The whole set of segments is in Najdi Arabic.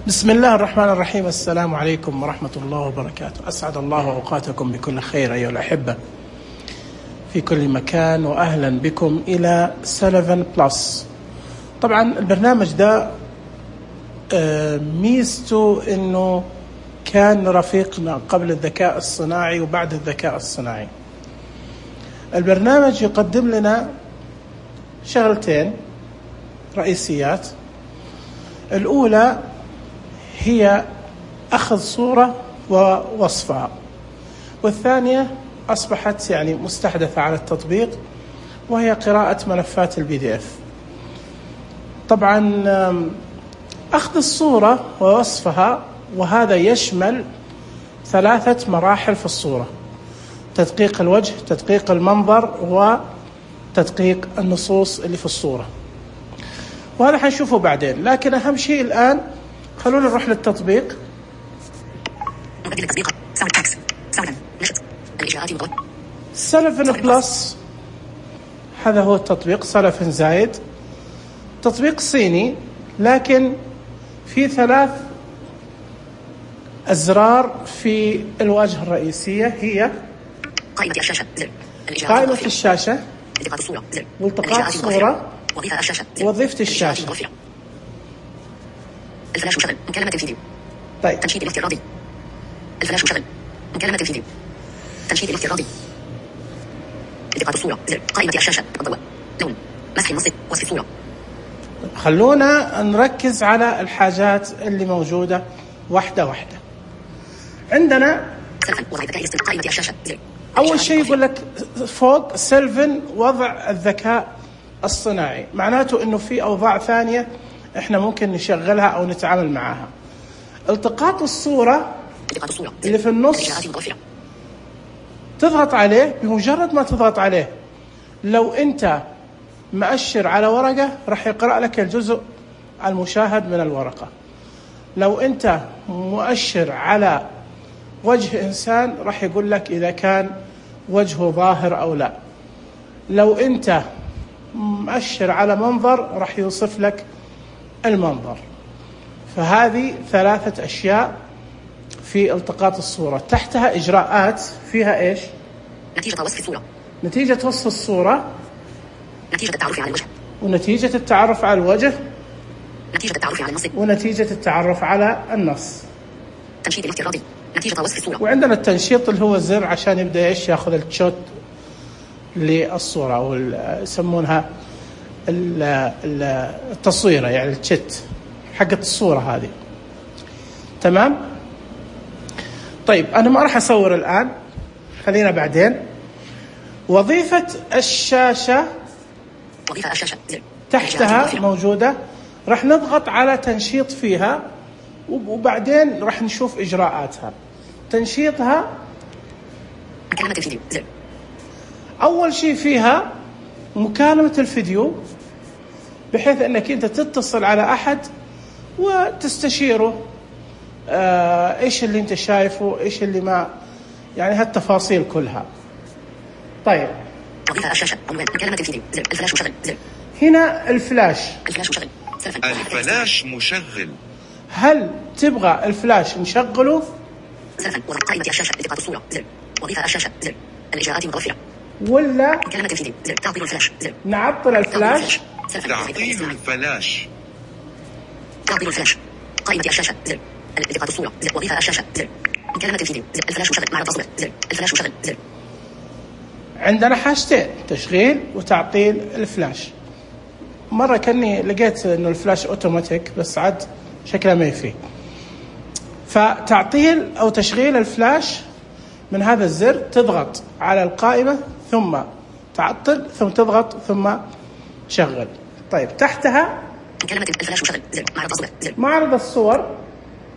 بسم الله الرحمن الرحيم. السلام عليكم ورحمة الله وبركاته. أسعد الله أوقاتكم بكل خير أيها الأحبة في كل مكان، وأهلا بكم إلى سلفن بلس. طبعا البرنامج ده ميزته أنه كان رفيقنا قبل الذكاء الصناعي وبعد الذكاء الصناعي. البرنامج يقدم لنا شغلتين رئيسيات. الأولى هي أخذ صورة ووصفها، والثانية أصبحت مستحدثة على التطبيق، وهي قراءة ملفات الPDF. طبعا أخذ الصورة ووصفها، وهذا يشمل 3 مراحل في الصورة: تدقيق الوجه، تدقيق المنظر، وتدقيق النصوص اللي في الصورة، وهذا حنشوفه بعدين. لكن أهم شيء الآن خلونا نروح للتطبيق. سلفن بلس، هذا هو التطبيق. سلفن زايد تطبيق صيني، لكن في 3 أزرار في الواجهة الرئيسية. هي قائمة الشاشة، والتقاط الصورة، وظيفة الشاشة، الفلاش مشغل، مكالمة الفيديو. طيب، تنشيط الافتراضي. الفلاش مشغل، مكالمة الفيديو. تنشيط الافتراضي. التقاط الصورة، زر، قائمة الشاشة، الضوء، لون، مسح النص، وصف الصورة. خلونا نركز على الحاجات اللي موجودة واحدة واحدة. عندنا قائمة الشاشة، زر. أول شيء يقول لك فوق سلفن وضع الذكاء الصناعي، معناته إنه في أوضاع ثانية إحنا ممكن نشغلها أو نتعامل معها. التقاط الصورة اللي في النص تضغط عليه. بمجرد ما تضغط عليه، لو أنت مؤشر على ورقة راح يقرأ لك الجزء المشاهد من الورقة. لو أنت مؤشر على وجه إنسان راح يقول لك إذا كان وجهه ظاهر أو لا. لو أنت مؤشر على منظر راح يوصف لك المنظر. فهذه 3 أشياء في التقاط الصورة. تحتها إجراءات فيها إيش؟ نتيجة وصف الصورة، نتيجة وصف الصورة، نتيجة التعرف على الوجه، ونتيجة التعرف على الوجه، نتيجة التعرف على النص، ونتيجة التعرف على النص. تنشيط الافتراضي، نتيجة وصف الصورة. وعندنا التنشيط اللي هو الزر عشان يبدأ إيش يأخذ الشوت للصورة، أو يسمونها التصويرة، يعني الشت حقة الصورة هذه. تمام؟ طيب، أنا ما راح أصور الآن، خلينا بعدين. وظيفة الشاشة، وظيفة الشاشة، تحتها موجودة. راح نضغط على تنشيط فيها، وبعدين راح نشوف إجراءاتها. تنشيطها، مكالمة الفيديو، زر. أول شيء فيها مكالمة الفيديو، بحيث أنك أنت تتصل على أحد وتستشيره إيش اللي أنت شايفه، إيش اللي ما، يعني هالتفاصيل كلها. طيب، وظيفة الشاشة، مكالمة الفيديو، زر. الفلاش مشغل، زر. هنا الفلاش. الفلاش مشغل، الفلاش مشغل. هل تبغى الفلاش نشغله؟ سلفا، قائمة الشاشة، التقاط الصورة، زر. وظيفة الشاشة، زر. الإجراءات متوفرة. ولا مكالمة الفيديو، زر. تعطيل الفلاش، زر. نعطل الفلاش. تعطيل الفلاش. تعطيل الفلاش. قائمة الشاشة، زر. التقاط الصورة، زر. وظيفة الشاشة، زر. مكالمة الفيديو، زر. الفلاش مشغل، معرض تصوير، زر. الفلاش مشغل، زر. عندنا حاجتين: تشغيل وتعطيل الفلاش. مرة كأني لقيت إنه الفلاش أوتوماتيك، بس عاد شكله ما يفيه. فتعطيل أو تشغيل الفلاش من هذا الزر، تضغط على القائمة ثم تعطل، ثم تضغط ثم شغل. طيب، تحتها مكالمة الفلاش مشغل، زر. معرض تصوير، زر. معرض الصور.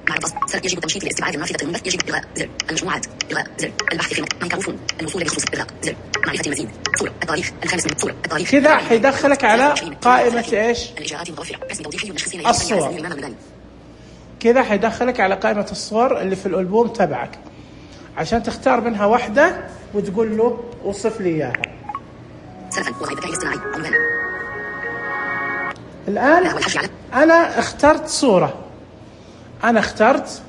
معرض تصوير، يجب تنشيط الاستبعاد النافذة المنبث، يجب إلغاء، زر. المجموعات، إلغاء، زر. البحث في ميكروفون، الوصول لخصوص، إلغاء، زر. معرفة المزيد، صورة، التاريخ، الخامس من صورة، التاريخ. كذا حيدخلك على قائمة إيش؟ الإجراءات المتوفرة، اسم توظيفي والنشخ الصور. كذا حيدخلك على قائمة الصور اللي في الألبوم تبعك، عشان تختار منها واحدة وتقول له وصف لي إياها. الآن أنا اخترت صورة. أنا اخترت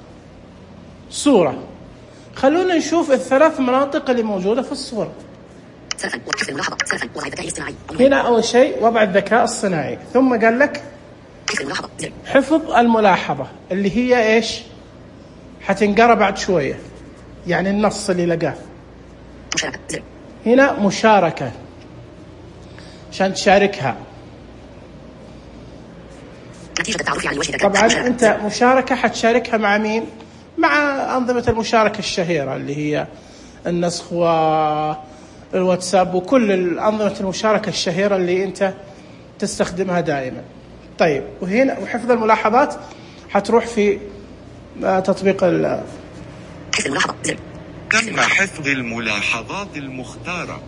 صورة. خلونا نشوف الثلاث مناطق اللي موجودة في الصورة. سلفا وحفظ الملاحظة. سلفا وضع الذكاء الاصطناعي. هنا أول شيء وضع الذكاء الصناعي، ثم قال لك حفظ الملاحظة. حفظ الملاحظة اللي هي إيش؟ حتنقرأ بعد شوية، يعني النص اللي لقاه. مشاركة. هنا مشاركة عشان تشاركها. نتيجة التعرف على الوجه. طبعا أنت مشاركة حتشاركها مع مين؟ مع أنظمة المشاركة الشهيرة اللي هي النسخ والواتساب وكل الأنظمة المشاركة الشهيرة اللي أنت تستخدمها دائما. طيب وهنا وحفظ الملاحظات حتروح في تطبيق حفظ الملاحظة. تم حفظ الملاحظات المختارة.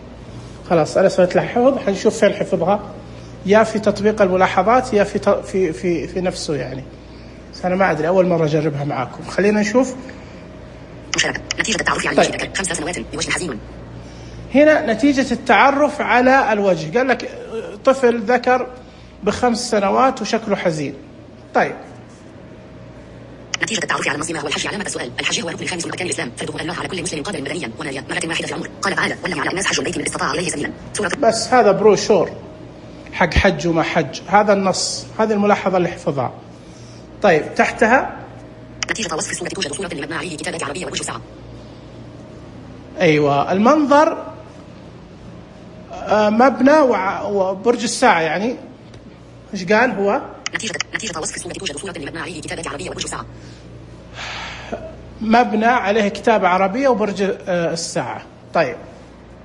خلاص أنا سويت لها حفظ، حنشوف فين حفظها، يا في تطبيق الملاحظات يا في نفسه يعني. بس أنا ما أدري، أول مرة أجربها معاكم. خلينا نشوف. مشاركة. نتيجة التعرف على الوجه. 5 سنوات بوجه حزين. هنا نتيجة التعرف على الوجه، قال لك طفل ذكر ب5 سنوات وشكله حزين. طيب نتيجة التعرف على المنظمة والحج. علامة السؤال. الحج هو الركن الخامس من أركان الإسلام، فرضه الله على كل مسلم قادر بدنيا وناريا مرة واحدة في العمر. قال تعالى: ولم على الناس حج البيت من استطاع إليه سبيلا. سورة. بس هذا بروشور حق حج وما حج، هذا النص، هذه الملاحظة اللي حفظها. طيب تحتها نتيجة وصف الصورة. توجد صورة مبنى عليه كتابة عربية ووجه ساعة. أيوة المنظر مبنى وبرج الساعة، يعني إيش قال هو؟ نتيجة وصف الصورة. توجد صورة مبنى عليه كتابة عربية ووجه ساعة. مبنى عليه كتابة عربية وبرج الساعة. طيب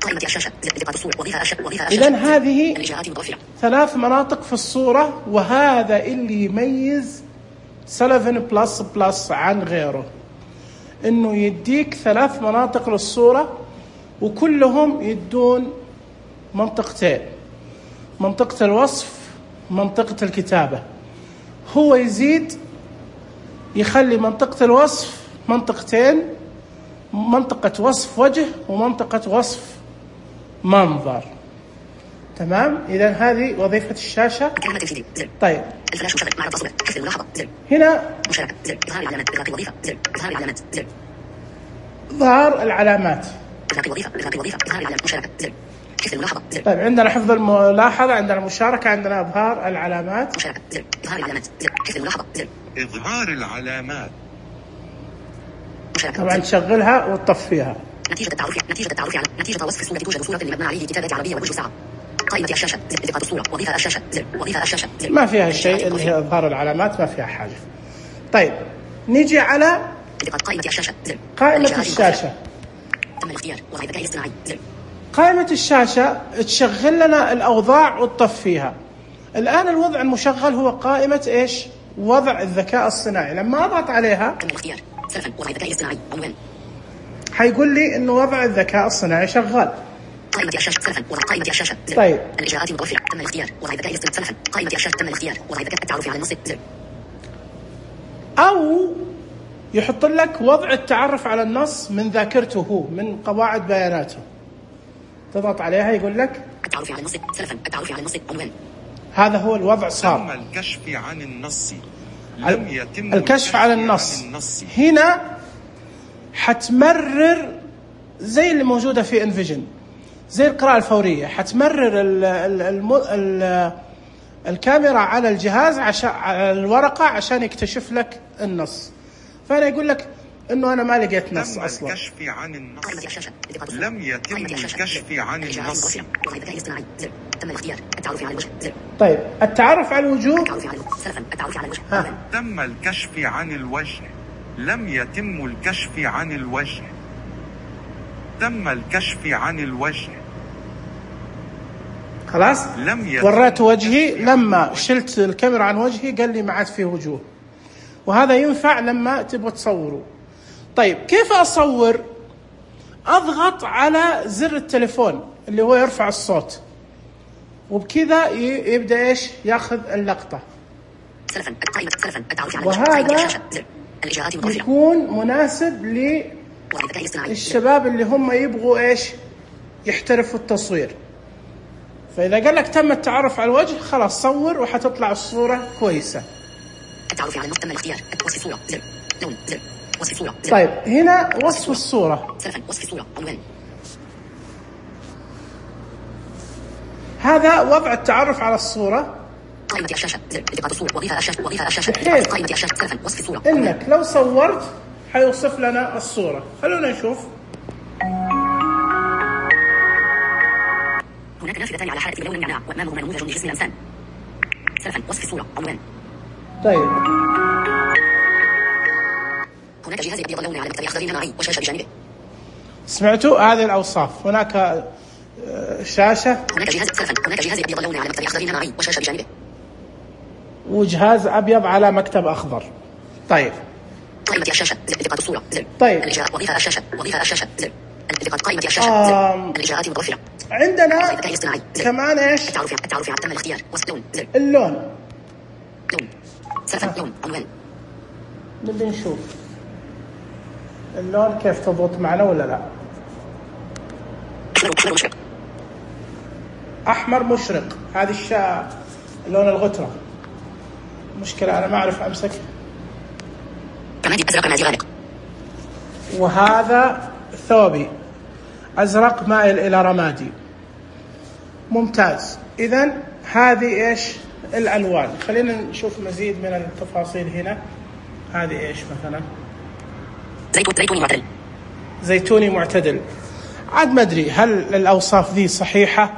قائمة الشاشة. دقة الصورة. وظيفة الشاشة. إذن هذه الإجراءات المتوفرة. 3 مناطق في الصورة، وهذا اللي يميز سلفن بلس بلس عن غيره، إنه يديك 3 مناطق للصورة وكلهم يدون منطقتين، منطقة الوصف منطقة الكتابة. هو يزيد يخلي منطقة الوصف منطقتين، منطقة وصف وجه ومنطقة وصف منظر. تمام؟ إذن هذه وظيفة الشاشة. كلمة تنفيذي. طيب الفلاش مشغل. معرض تصوير. حفظ الملاحظة. هنا مشاركة. إظهار العلامات. إغلاق الوظيفة. إظهار العلامات. ظهر العلامات. إغلاق الوظيفة. إغلاق الوظيفة. إظهار العلامات. مشاركة. حفظ الملاحظة. طيب عندنا حفظ الملاحظة، عندنا مشاركة، عندنا إظهار العلامات. مشاركة. إظهار العلامات. حفظ الملاحظة. إظهار العلامات. مشاركة. طبعا تشغلها وتطفيها. نتيجة التعرف على نتيجة وصف الصورة. توجد صورة مبنى عليه كتابة عربية ووجه ساعة. قائمة الشاشة. دقة الصورة. وظيفة الشاشة. وظيفة الشاشة. ما فيها شيء اللي هي إظهار العلامات، ما فيها حاجة. طيب نيجي على قائمة الشاشة. قائمة الشاشة. تم الاختيار. وضع الذكاء الاصطناعي. قائمة الشاشة تشغل لنا الأوضاع وتطفيها. الآن الوضع المشغل هو قائمة إيش؟ وضع الذكاء الصناعي. لما أضغط عليها تم الاختيار. سلفا وضع الذكاء الاصطناعي. عنوان. حيقول لي إنه وضع الذكاء الصناعي شغال. قائمة الشاشة. سلفا وضع قائمة الشاشة. طيب الإجراءات المتوفرة. تم الاختيار. وضع الذكاء الاصطناعي. سلفا قائمة الشاشة. تم الاختيار. وضع الذكاء. التعرف على النص. أو يحط لك وضع التعرف على النص من ذاكرته هو، من قواعد بياناته. تضغط عليها يقول لك التعرف على النص. سلفا التعرف على النص. عنوان. هذا هو الوضع صار. تم الكشف عن النص. لم يتم الكشف عن النص. هنا حتمرر زي اللي موجودة في انفيجن، زي القراءة الفورية. حتمرر الكاميرا على الجهاز على الورقة عشان يكتشف لك النص. فأنا يقول لك إنه أنا ما لقيت نص تم أصلا. الكشف عن النص. قائمة الشاشة. لم يتم الكشف عن النص. وضع الذكاء الاصطناعي. تم الاختيار. التعرف على الوجه. طيب التعرف على الوجوه. التعرف على سلفا التعرف على الوجه. عنوان. تم الكشف عن الوجه. لم يتم الكشف عن الوجه. تم الكشف عن الوجه. خلاص لم يتم وريت وجهي، لما شلت الكاميرا عن وجهي قال لي ما عاد فيه وجوه. وهذا ينفع لما تبغى تصوروا. طيب كيف أصور؟ أضغط على زر التليفون اللي هو يرفع الصوت، وبكذا يبدأ إيش ياخذ اللقطة. سلفا قائمة سلفا التعرف على وهذا الإجراءات المتوفرة. يكون مناسب وضع الذكاء الاصطناعي. للشباب اللي هم يبغوا إيش يحترفوا التصوير. فإذا قال لك تم التعرف على الوجه خلاص صور وحتطلع الصورة كويسة. التعرف على النص. تم الاختيار. وصف الصورة. لون زر وصف الصورة زر طيب هنا وصف الصورة. سلفا وصف الصورة عنوان. هذا وضع التعرف على الصورة. قائمة الشاشة زر التقاط الصورة وظيفة الشاشة وظيفة الشاشة بحيث قائمة الشاشة سلفا وصف الصورة إنك لو صورت حيوصف لنا الصورة. خلونا نشوف. هناك نافذتان على حالة بلون النعناع وأمامهما نموذج لجسم الإنسان. سلفا وصف الصورة عنوان. طيب هناك جهاز أبيض لون على مكتب أخضر نمعي وشاشة بجانبه. سمعتوا هذه الأوصاف؟ هناك شاشة. هناك جهاز أبيض لون على مكتب أخضر نمعي وشاشة بجانبه. وجهاز أبيض على مكتب أخضر. طيب قائمة الشاشة زر التقاط الصورة زر طيب وظيفة الشاشة زر التقاط قائمة الشاشة زر الإجراءات المتوفرة. عندنا كمان إيش؟ التعرف على تم الاختيار وصف لون زر اللون. لون سلفا لون عنوان. نبي نشوف اللون كيف تضبط معنا ولا لا. أحمر مشرق. أحمر مشرق. هذه لون الغترة. مشكلة أنا ما أعرف أمسك. رمادي أزرق رمادي غامق. وهذا ثوبي أزرق مائل إلى رمادي. ممتاز. إذن هذه إيش الألوان. خلينا نشوف مزيد من التفاصيل هنا. هذه إيش مثلا؟ زيتوني معتدل. زيتوني معتدل. عاد ما أدري هل الأوصاف ذي صحيحة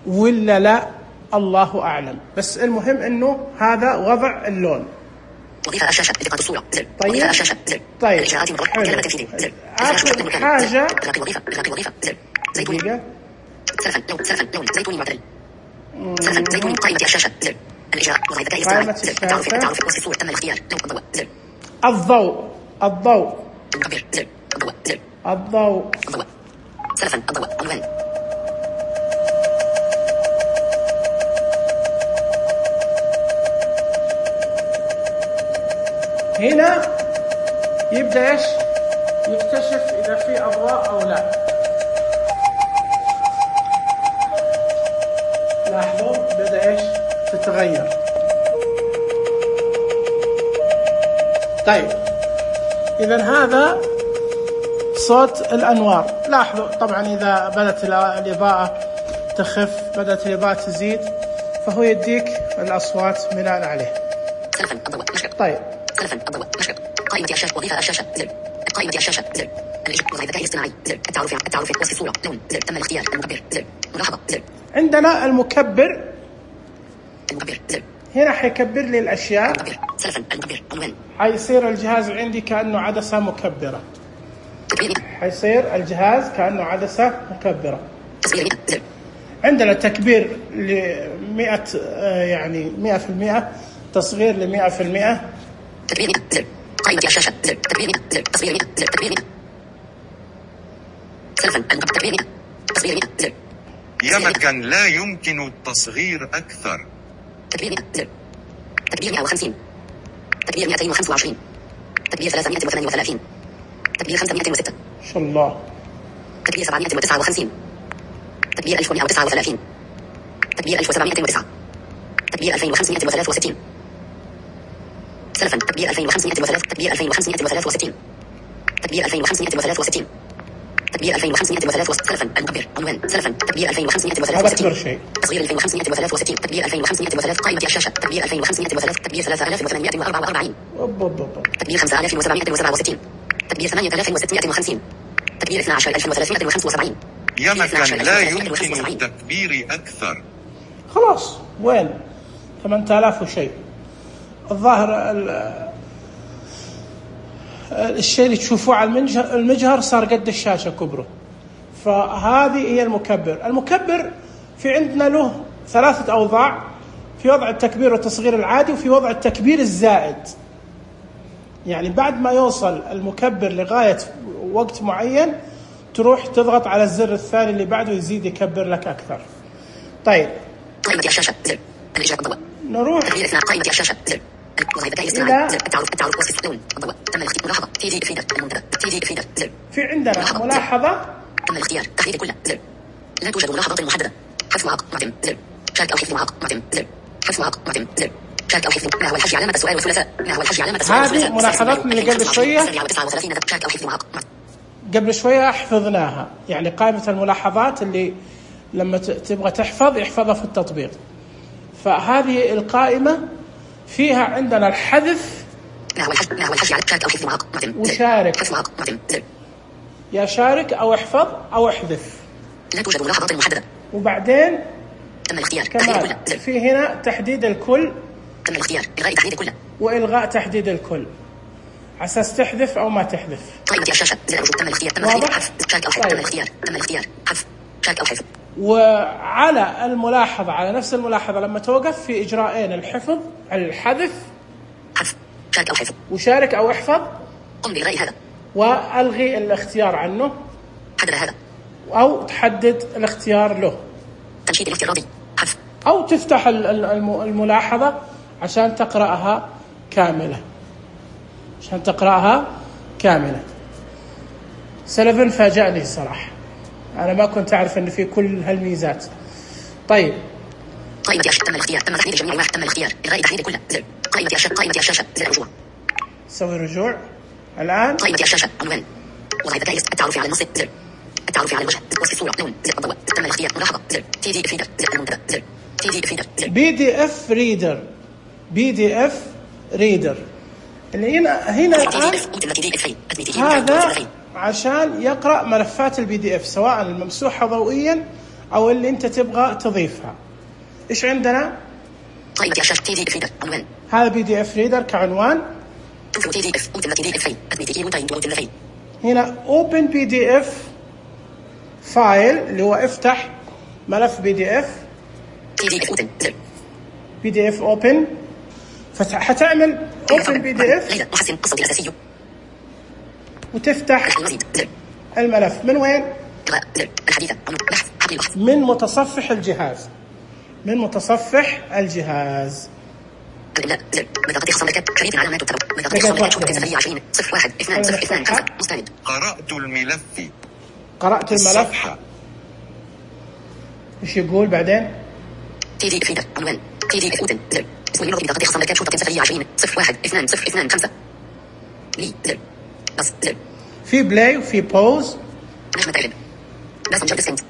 ولا لا، الله أعلم. بس المهم إنه هذا وضع اللون. وظيفة الشاشة التقاط الصورة زر طيب. وظيفة الشاشة زر طيب الإجراءات المتوفرة كلمة تنفيذي زر آخر حاجة الوظيفة زر زيتوني سلفا لون زيتوني معتدل. سلفا زيتوني قائمة الشاشة زر الإجراء وظيفة ذكاء الاصطناعي زر التعرف وصف الصورة تم الاختيار لون الضوء زر الضوء المكبر زر الضوء زر الضوء سلفا الضوء عنوان. هنا يبدأ إيش يكتشف إذا في أضواء أو لا. لاحظوا بدأ إيش تتغير. طيب إذن هذا صوت الأنوار. لاحظوا طبعا إذا بدأت الإضاءة تخف، بدأت الإضاءة تزيد، فهو يديك الأصوات بناء عليه. سلفا الضوء مشرق. طيب سلفا الضوء مشرق. قائمة الشاشة وظيفة الشاشة زر قائمة الشاشة زر وظيفة الذكاء الاصطناعي زر التعرف وصف الصورة لون زر تم الاختيار المكبر زر ملاحظة زر. عندنا المكبر زر هنا حيكبر لي الأشياء. المكبر سلفا المكبر عنوان. حيصير الجهاز عندي كأنه عدسة مكبرة. حيصير الجهاز كأنه عدسة مكبرة. تصوير زر. عندنا تكبير ل100 يعني 100%، تصغير ل100%. تكبير زر قائمة الشاشة زر تكبير زر تصوير زر تكبير سلفا تكبير تصوير زر. يمكن لا يمكن التصغير أكثر. تكبير زر تكبير 150 تكبير 225 تكبير 338 تكبير 506 ما شاء الله. تكبير 759 تكبير 1139 تكبير 1709 تكبير 2563 سلفا تكبير 2503 تكبير 2563 تكبير 2563 تكبير 2503 سلفا المكبر عنوان سلفا تكبير 2563 تصغير 2563 تكبير 2503 قائمة الشاشة تكبير 2503 تكبير 3844 تكبير 5767 تكبير 8650 تكبير 12375. يمكن لا يمكن التكبير أكثر. خلاص وين 8000 وشيء. الظاهر الشيء اللي تشوفوه على المجهر صار قد الشاشة كبره. فهذه هي المكبر. المكبر في عندنا له 3 أوضاع، في وضع التكبير والتصغير العادي، وفي وضع التكبير الزائد. يعني بعد ما يوصل المكبر لغاية وقت معين تروح تضغط على الزر الثاني اللي بعده يزيد يكبر لك أكثر. طيب قائمة الشاشة زر الإجابة الضوء. نروح قائمة الشاشة زر إلى التعرف وصف اللون الضوء. تم الاختيار ملاحظة تيجي إفادة المنتدى تيجي إفادة زر. في عندنا ملاحظة تم الاختيار تحديد كل زر. لا توجد ملاحظات محددة. حذف معاق معتم زر. شارك أو حذف معاق معتم زر. حذف معاق معتم زر. شارك أو حفظ. ما هو الحج علامة السؤال والثلاثاء. ما هو الحج علامة السؤال والثلاثاء. هذه ملاحظات اللي قبل شوية. شارك أو حفظ قبل شوية حفظناها، يعني قائمة الملاحظات اللي لما تبغى تحفظ يحفظها في التطبيق. فهذه القائمة فيها عندنا الحذف. ما هو الحج على شارك أو حفظ وشارك. يا شارك أو احفظ أو احذف. لا توجد ملاحظات محددة. وبعدين تم الاختيار. كمان في هنا تحديد الكل. تم الاختيار. إلغاء تحديد الكل. وإلغاء تحديد الكل. على أساس تحذف أو ما تحذف. قائمة الشاشة. تم الاختيار. تم حذف. شارك أو حفظ. تم الاختيار. تم الاختيار. حذف. شارك أو حفظ. وعلى الملاحظة، على نفس الملاحظة لما توقف في إجراءين: الحفظ، الحذف، حذف، شارك أو حفظ، وشارك أو احفظ. قم بإلغاء هذا وألغي الاختيار عنه. حدد هذا أو تحدد الاختيار له. تنشيط الافتراضي. حذف. أو تفتح الملاحظة عشان تقرأها كاملة. سلفن فاجأني الصراحة، أنا ما كنت أعرف أن في كل هالميزات. طيب، قائمة الشاشة. تم الاختيار. تم تحديد جميع واحد. تم الاختيار. إلغاء تحديد كله. قائمة الشاشة. زر رجوع. سوي رجوع الآن. قائمة الشاشة. عنوان. وضع ذكاء التعرف على النص. زر. التعرف على الوجه. وصف الصورة. لون. زر الضوء. تم الاختيار. ملاحظة. زر. PDF ريدر. زر المنتدى. زر. PDF ريدر. PDF ريدر. اللي هنا الآن هذا عشان يقرأ ملفات PDF، سواء الممسوحة ضوئيا أو اللي أنت تبغى تضيفها. إيش عندنا؟ قائمة الشاشة. PDF ريدر. عنوان. هذا PDF ريدر كعنوان. هنا Open PDF فايل اللي هو افتح ملف PDF. PDF Open. فحتعمل Open PDF وتفتح الملف من وين؟ من متصفح الجهاز. بطاقة خصم لك شريط علامات التبع. بطاقة خصم لك شروط سفرية 20 01 2 02 5 مستند. قرأت الملف. ايش يقول بعدين؟ PDF ريدر. عنوان. PDF اوتن. زر. اسم المنظم. بطاقة خصم لك شروط سفرية 20 01 2 02 5. لي. زر. بس. زر. في بلاي وفي بوز. نجمة تعلم. ماسنجر ديسكنت.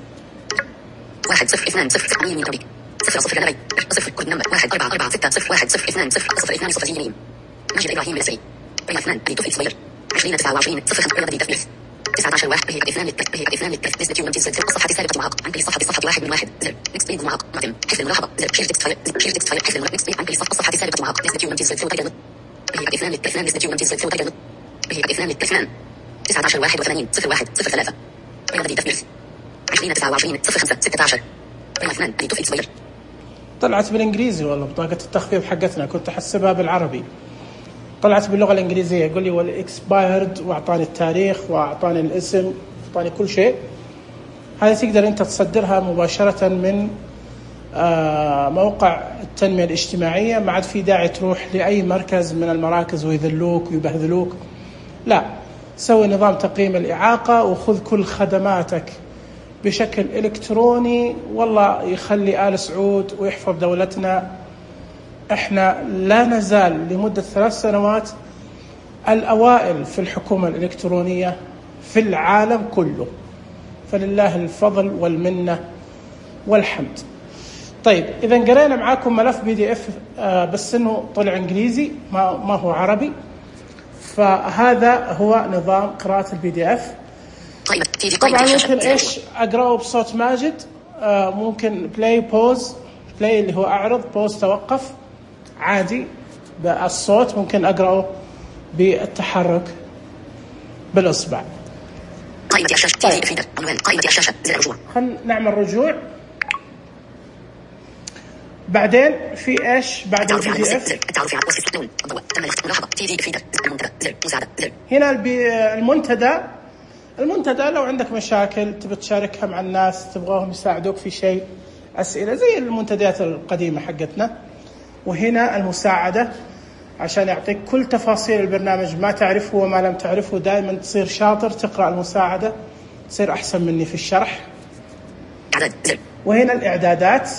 1 0 2 0 قوي من طريق. 0 لبي 0 كود نمبر 1 4 4 6 0 1 0 2 0 0 2 0 يمين. ماجد إبراهيم الأسري. رياض 2 توفيق صغير 20 29 0 5 رياض تثبيت 19 1 هي إثنان للتثبيت نسبة يوم تنزل الصفحة السابقة معاق عن كل صفحة 1 من 1 زر نكست بيد معاق معتم حفظ الملاحظة زر شير تكست فايل حفظ الملاحظة نكست بيد عن كل الصفحة السابقة معاق نسبة يوم تنزل وتجد هي إثنان نسبة يوم تنزل وتجد هي إثنان 19 81 01 03 رياض تثبيت 20 29 05 16 رياض 2 توفيق صغير. طلعت بالإنجليزي والله بطاقة التخفيض حقتنا، كنت أحسبها بالعربي، طلعت باللغة الإنجليزية. يقول لي والإكسبايرد، وأعطاني التاريخ وأعطاني الاسم، أعطاني كل شيء. هذه تقدر أنت تصدرها مباشرة من موقع التنمية الاجتماعية، ما عاد في داعي تروح لأي مركز من المراكز ويذلوك ويبهذلوك. لا، سوي نظام تقييم الإعاقة وخذ كل خدماتك بشكل إلكتروني، والله يخلي آل سعود ويحفظ دولتنا. احنا لا نزال لمدة 3 سنوات الأوائل في الحكومة الإلكترونية في العالم كله، فلله الفضل والمنة والحمد. طيب، إذا قرينا معاكم ملف PDF بس إنه طلع إنجليزي ما هو عربي، فهذا هو نظام قراءة الPDF. طبعا ممكن إيش أقرأه بصوت ماجد، ممكن بلاي بوز، بلاي اللي هو أعرض، بوز توقف عادي بالصوت، ممكن أقرأه بالتحرك بالإصبع. قائمة الشاشة. طيب. قائمة الشاشة. زر رجوع. خلينا نعمل رجوع. بعدين في إيش بعد الPDF؟ التعرف على وصف لون الضوء. تم ملاحظة PDF ريدر. المنتدى. زر مساعدة. زر. هنا المنتدى لو عندك مشاكل تبي تشاركها مع الناس، تبغاهم يساعدوك في شيء، أسئلة زي المنتديات القديمة حقتنا. وهنا المساعدة عشان يعطيك كل تفاصيل البرنامج، ما تعرفه وما لم تعرفه، دائما تصير شاطر تقرأ المساعدة، تصير أحسن مني في الشرح. وهنا الإعدادات.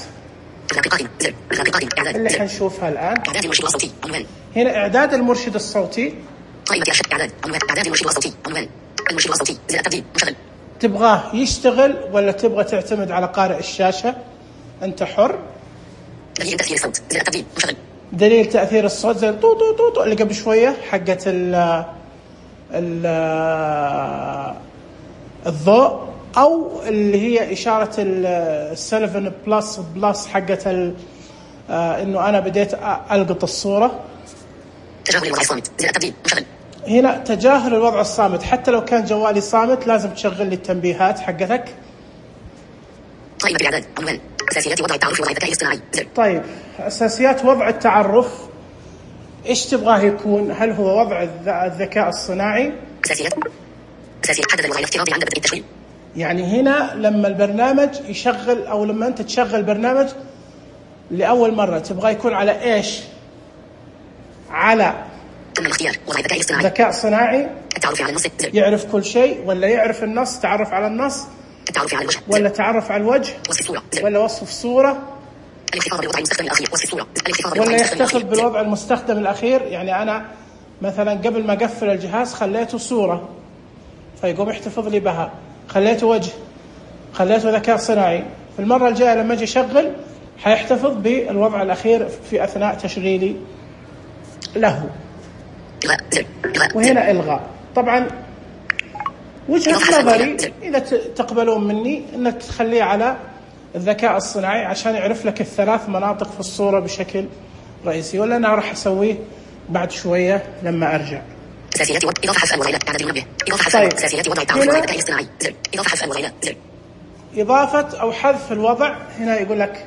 متلقي زر متلقي إعداد اللي حنشوفها الآن. إعداد المرشد الصوتي عنوان. هنا إعداد المرشد الصوتي. قائمة إرشاد إعداد عنوان إعداد المرشد الصوتي عنوان المرشد الصوتي زر التبديل مشغل. تبغاه يشتغل ولا تبغى تعتمد على قارئ الشاشة؟ أنت حر. دليل تأثير الصوت زر التبديل مشغل. دليل تأثير الصوت زي طو طو طو طو اللي قبل شوية حقت الضوء، أو اللي هي إشارة السلفن بلس حقت إنه أنا بديت ألقط الصورة. تجاهل الوضع الصامت زر التبديل مشغل. هنا تجاهل الوضع الصامت، حتى لو كان جوالي صامت لازم تشغل لي التنبيهات حقتك. قائمة الإعداد عنوان أساسيات وضع التعرف وضع الذكاء الاصطناعي زر. طيب أساسيات وضع التعرف إيش تبغاه يكون؟ هل هو وضع الذكاء الصناعي؟ أساسيات حدد الوضع الافتراضي عند بدء التشغيل. يعني هنا لما البرنامج يشغل أو لما أنت تشغل برنامج لأول مرة تبغى يكون على إيش؟ على تم الاختيار وضع الذكاء الاصطناعي. ذكاء صناعي. التعرف على النص زر. يعرف كل شيء ولا يعرف النص؟ تعرف على النص. التعرف على الوجه ولا تعرف على الوجه. وصف الصورة زر. ولا وصف الصورة. الاحتفاظ بالوضع المستخدم الأخير وصف الصورة. ولا يحتفظ بالوضع المستخدم الأخير. يعني أنا مثلا قبل ما أقفل الجهاز خليته صورة فيقوم يحتفظ لي بها، خليته وجه، خليته ذكاء صناعي، في المرة الجاية لما أجي أشغل حيحتفظ بالوضع الأخير في أثناء تشغيلي له. وهنا إلغاء. طبعا وجهة نظري إذا تقبلون مني أنك تخليه على الذكاء الصناعي عشان يعرف لك الثلاث مناطق في الصورة بشكل رئيسي، ولا أنا راح أسويه بعد شوية لما أرجع. أساسيات إضافة حذف الوضع إلى إعداد المنبه. إضافة حذف أساسيات وضع التعرف وضع الذكاء الاصطناعي زر. إضافة حذف الوضع إلى زر. إضافة أو حذف الوضع. هنا يقول لك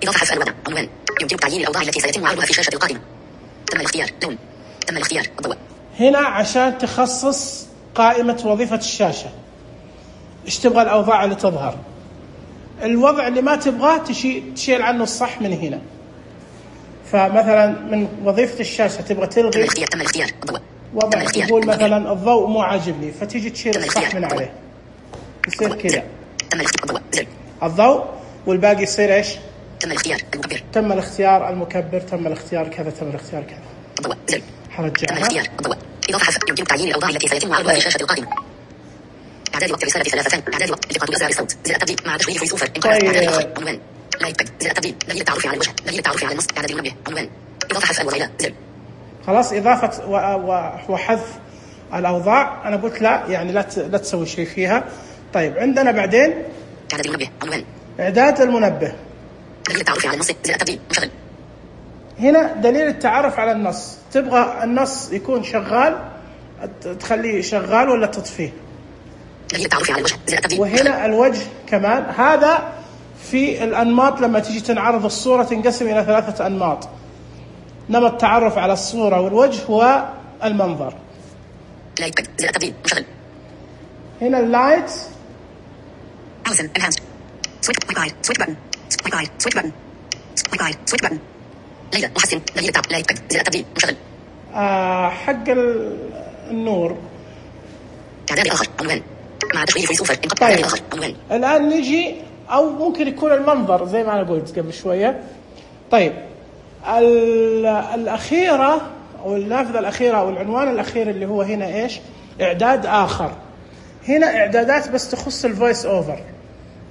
إضافة حذف الوضع عنوان يمكن تعيين الأوضاع التي سيتم عرضها في شاشة القائمة. تم الاختيار لون. تم الاختيار الضوء. هنا عشان تخصص قائمة وظيفة الشاشة إيش تبغى الأوضاع اللي تظهر. الوضع اللي ما تبغاه تشيل عنه الصح من هنا. فمثلا من وظيفة الشاشة تبغى تلغي تم الاختيار الضوء. وضع يقول مثلا الضوء مو عاجبني فتيجي تشيل الصح من عليه يصير كذا. تم الاختيار الضوء زر. الضوء والباقي يصير إيش؟ تم الاختيار المكبر. تم الاختيار المكبر. تم الاختيار كذا. تم الاختيار كذا. الضوء زر. حرجعها. تم الاختيار الضوء. إضافة حذف يمكن تعيين الأوضاع التي سيتم عرضها في شاشة القائمة. إعداد وقت الرسالة 3 إعداد وقت التقاط أزرار الصوت زر التبديل مع تشغيل فويس أوفر. إعداد عنوان لايك باد زر التبديل دليل التعرف على الوجه دليل التعرف على النص إعداد المنبه عنوان إضافة حذف الوضع إلى زر. خلاص إضافة وحذف الأوضاع أنا قلت لا يعني لا تسوي شيء فيها. طيب عندنا بعدين إعداد المنبه عنوان إعداد المنبه دليل التعرف على النص زر التبديل مشغل. هنا دليل التعرف على النص. تبغى النص يكون شغال تخليه شغال ولا تطفيه. دليل التعرف على الوجه زر التبديل. وهنا الوجه كمان. هذا في الأنماط لما تيجي تنعرض الصورة تنقسم إلى 3 أنماط. نمط التعرف على الصورة والوجه والمنظر. لايت باد زر التبديل مشغل. هنا اللايت Allison enhanced switch guide switch button guide switch button guide switch button. ليلى محسن دليل التعرف لايت باد زر التبديل مشغل. حق النور. إعداد آخر عنوان مع تشغيل فويس أوفر. طيب آخر عنوان. الآن نجي أو ممكن يكون المنظر زي ما أنا قلت قبل شوية. طيب الأخيرة أو النافذة الأخيرة أو العنوان الأخير اللي هو هنا إيش؟ إعداد آخر. هنا إعدادات بس تخص الفويس أوفر.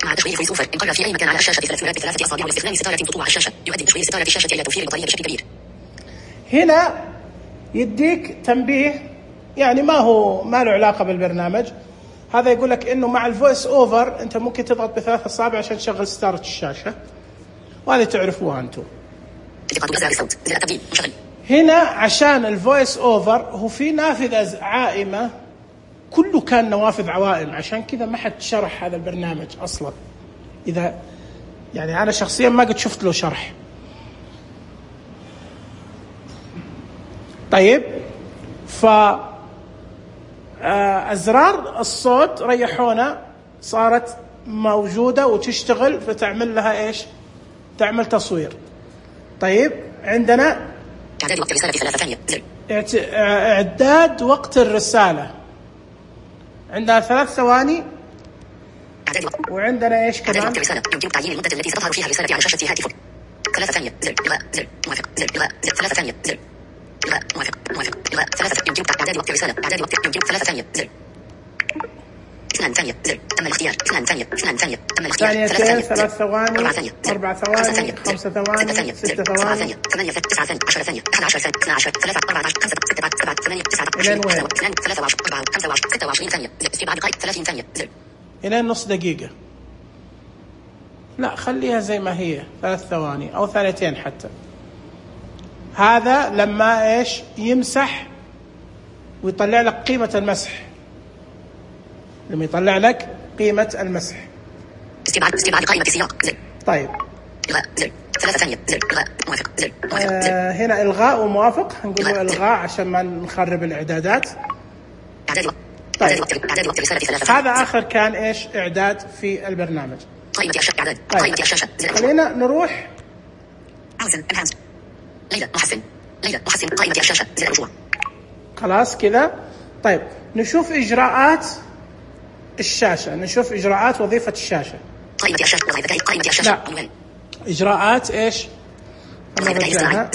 مع تشغيل فويس أوفر انقر في أي مكان على الشاشة بثلاثة أصابع والاستخدام ستارة تطوع على الشاشة يؤدي تشغيل ستارة الشاشة إلى توفير البطارية بشكل كبير. هنا يديك تنبيه يعني ما له علاقة بالبرنامج. هذا يقول لك إنه مع الفويس أوفر أنت ممكن تضغط ب3 أصابع عشان تشغل ستارة الشاشة، وهذه تعرفوها أنتم. هنا عشان الفويس أوفر هو في نافذة عائمة كله كان نوافذ عوائم، عشان كذا ما حد شرح هذا البرنامج أصلا. إذا يعني أنا شخصيا ما قد شفت له شرح. طيب أزرار الصوت ريحونا صارت موجودة وتشتغل فتعمل لها إيش؟ تعمل تصوير. طيب عندنا إعداد وقت الرسالة 3 ثانية إعداد وقت الرسالة عندنا 3 ثواني. وعندنا ايش كمان؟ رسالة يمكن تعيين المدة التي ستظهر فيها الرسالة على شاشة هاتفك. 3 ثانية زر إلغاء زر موافق زر إلغاء زر 3 ثانية زر إلغاء موافق إلغاء 3 يمكن إعداد وقت الرسالة إعداد وقت يمكن 3 ثانية زر 2 ثانية زر تم الاختيار 2 ثانية تم الاختيار 3 ثواني 4 ثواني 5 ثواني 6 ثواني 8 9 ثانية 10 ثانية 11 ثانية 12 3 14 5 6 7 8 9 إلى وين؟ 23 4 25 26 ثانية استبعاد دقائق 30 ثانية زر إلى نص دقيقة. لا خليها زي ما هي 3 ثواني أو 2 حتى. هذا لما إيش يمسح ويطلع لك قيمة المسح. لما يطلع لك قيمة المسح. استبعاد قائمة سياق زر. طيب. إلغاء زر 3 ثانية زر إلغاء موافق زر هنا إلغاء وموافق هنقول له إلغاء عشان ما نخرب الإعدادات. طيب. هذا آخر كان إيش إعداد في البرنامج. قائمة الشاشة إعداد. طيب. قائمة الشاشة خلينا نروح. ليلى محسن قائمة الشاشة زر رجوع. خلاص كذا. طيب نشوف إجراءات الشاشة. نشوف إجراءات وظيفة الشاشة. قائمة الشاشة وظيفتي قائمة الشاشة. لا. إجراءات إيش؟ نرجعها.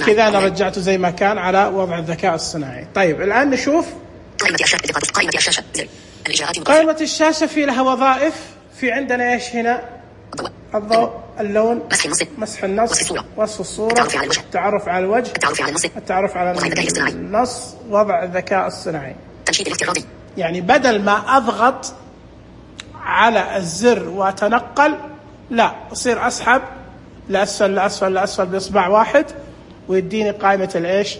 كذا أنا رجعته زي ما كان على وضع الذكاء الصناعي. طيب الآن نشوف قائمة الشاشة زر. قائمة الشاشة في لها وظائف. في عندنا إيش هنا؟ الضوء، اللون، مسح النص، وصف الصورة، التعرف على الوجه، التعرف على النص، وضع الذكاء الصناعي. تنشيط الافتراضي. يعني بدل ما أضغط على الزر وأتنقل، لا أصير أسحب لأسفل لأسفل لأسفل بإصبع واحد ويديني قائمة الإيش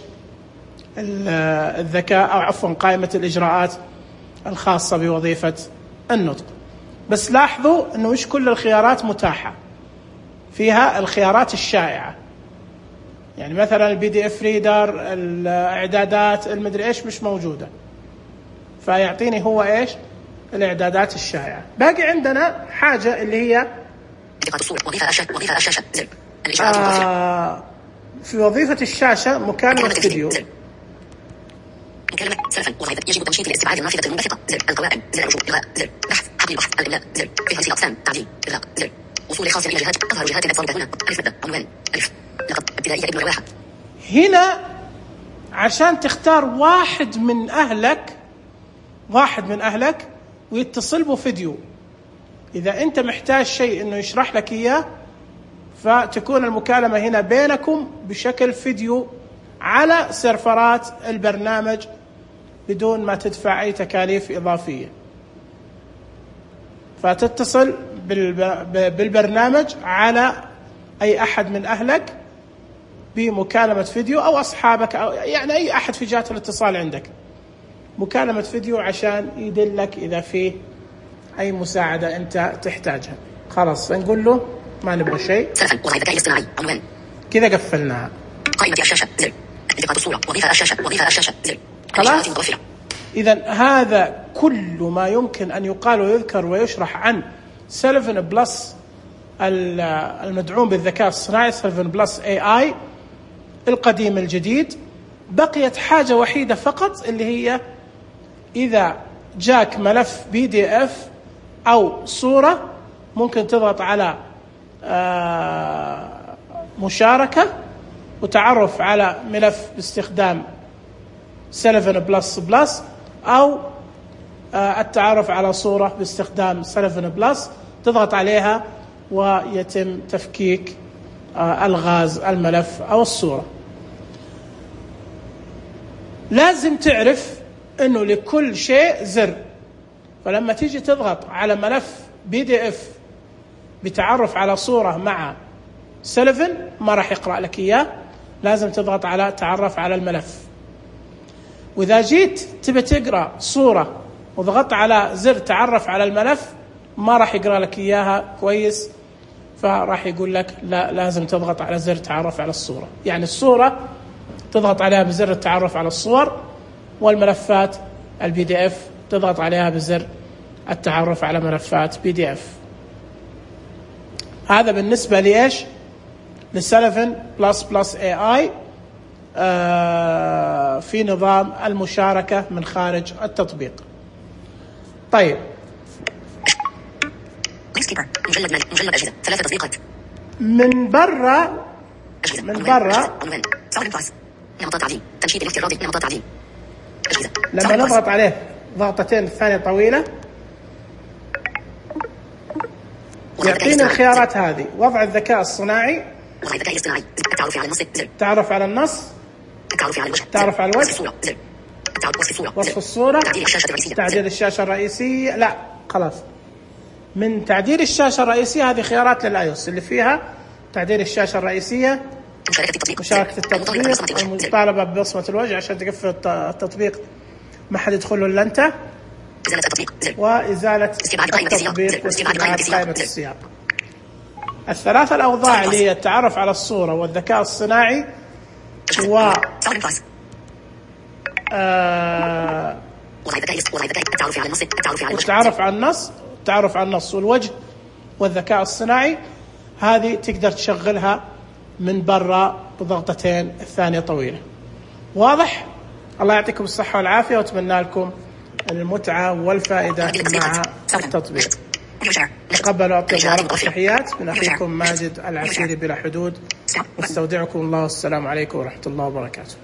الذكاء، أو عفوا قائمة الإجراءات الخاصة بوظيفة النطق. بس لاحظوا أنه مش كل الخيارات متاحة، فيها الخيارات الشائعة. يعني مثلا الPDF ريدر، الإعدادات، المدري إيش مش موجودة، فيعطيني هو إيش الإعدادات الشائعة. باقي عندنا حاجة اللي هي وظيفة الشاشة زر. في وظيفة الشاشة مكالمة فيديو. مكالمة سلفا وظيفة يجب تنشيط الاستبعاد النافذة المنبثقة زر. القوائم زر. رجوع إلغاء زر. بحث حقل البحث الإملاء زر. فهرس الأقسام تعديل إلغاء زر. وصول خاص إلى جهات تظهر جهات الأبصار هنا. ألف مادة عنوان ألف لقب ابتدائية ابن رواحة. هنا عشان تختار واحد من أهلك ويتصل به فيديو. إذا أنت محتاج شيء إنه يشرح لك إياه، فتكون المكالمة هنا بينكم بشكل فيديو على سيرفرات البرنامج بدون ما تدفع أي تكاليف إضافية. فتتصل بالبرنامج على أي أحد من أهلك بمكالمة فيديو، أو أصحابك، أو يعني أي أحد في جهة الاتصال عندك، مكالمة فيديو عشان يدلك إذا فيه أي مساعدة أنت تحتاجها. خلاص نقول له ما نبغى شيء. كذا قفلناها. قائمة الشاشة زر. التقاط الصورة. وظيفة الشاشة زر. خلاص. إذا هذا كل ما يمكن أن يقال ويذكر ويشرح عن سلفن بلس المدعوم بالذكاء الصناعي، سلفن بلس AI القديم الجديد. بقيت حاجة وحيدة فقط، اللي هي إذا جاك ملف PDF أو صورة ممكن تضغط على مشاركة وتعرف على ملف باستخدام سلفن بلس، أو التعرف على صورة باستخدام سلفن بلس، تضغط عليها ويتم تفكيك الغاز الملف أو الصورة. لازم تعرف أنه لكل شيء زر، فلما تيجي تضغط على ملف PDF بتعرف على صورة مع سلفن ما راح يقرأ لك إياه، لازم تضغط على تعرف على الملف. وإذا جيت تبي تقرأ صورة وضغطت على زر تعرف على الملف ما راح يقرأ لك إياها كويس، فراح يقول لك لا، لازم تضغط على زر تعرف على الصورة. يعني الصورة تضغط عليها بزر التعرف على الصور، والملفات الPDF تضغط عليها بزر التعرف على ملفات PDF. هذا بالنسبة لإيش؟ لسلفن بلس AI في نظام المشاركة من خارج التطبيق. طيب مجلد مالي، مجلد أجهزة، 3 تطبيقات. من برا عنوان صار بلس، نمط تعديل، تنشيط الافتراضي، نمط تعديل أجهزة. لما نضغط عليه ضغطتين ثانية طويلة يعطينا الخيارات هذه: وضع الذكاء الصناعي، وضع الذكاء الاصطناعي، التعرف على النص، زر، التعرف على النص، التعرف على الوجه، التعرف على الوجه، وصف الصورة، زر، وصف الصورة، وصف الصورة، تعديل الشاشة الرئيسية، تعديل الشاشة الرئيسية. لا خلاص، من تعديل الشاشة الرئيسية هذه خيارات للآيوس اللي فيها تعديل الشاشة الرئيسية، مشاركة التطبيق، المطالبة ببصمة الوجه عشان تقفل التطبيق ما حد يدخل له إلا أنت، إزالة التطبيق، زر، وإزالة التطبيق واستبعاد قائمة السياق. الثلاثة الأوضاع اللي هي التعرف على الصورة والذكاء الصناعي و التعرف على النص، التعرف على النص والوجه والذكاء الصناعي، هذه تقدر تشغلها من برا بضغطتين الثانية طويلة. واضح؟ الله يعطيكم الصحة والعافية، وأتمنى لكم المتعة والفائدة مع التطبيق. تقبلوا أطيب ورقة تحيات من أخيكم ماجد العسيري بلا حدود، واستودعكم الله، والسلام عليكم ورحمة الله وبركاته.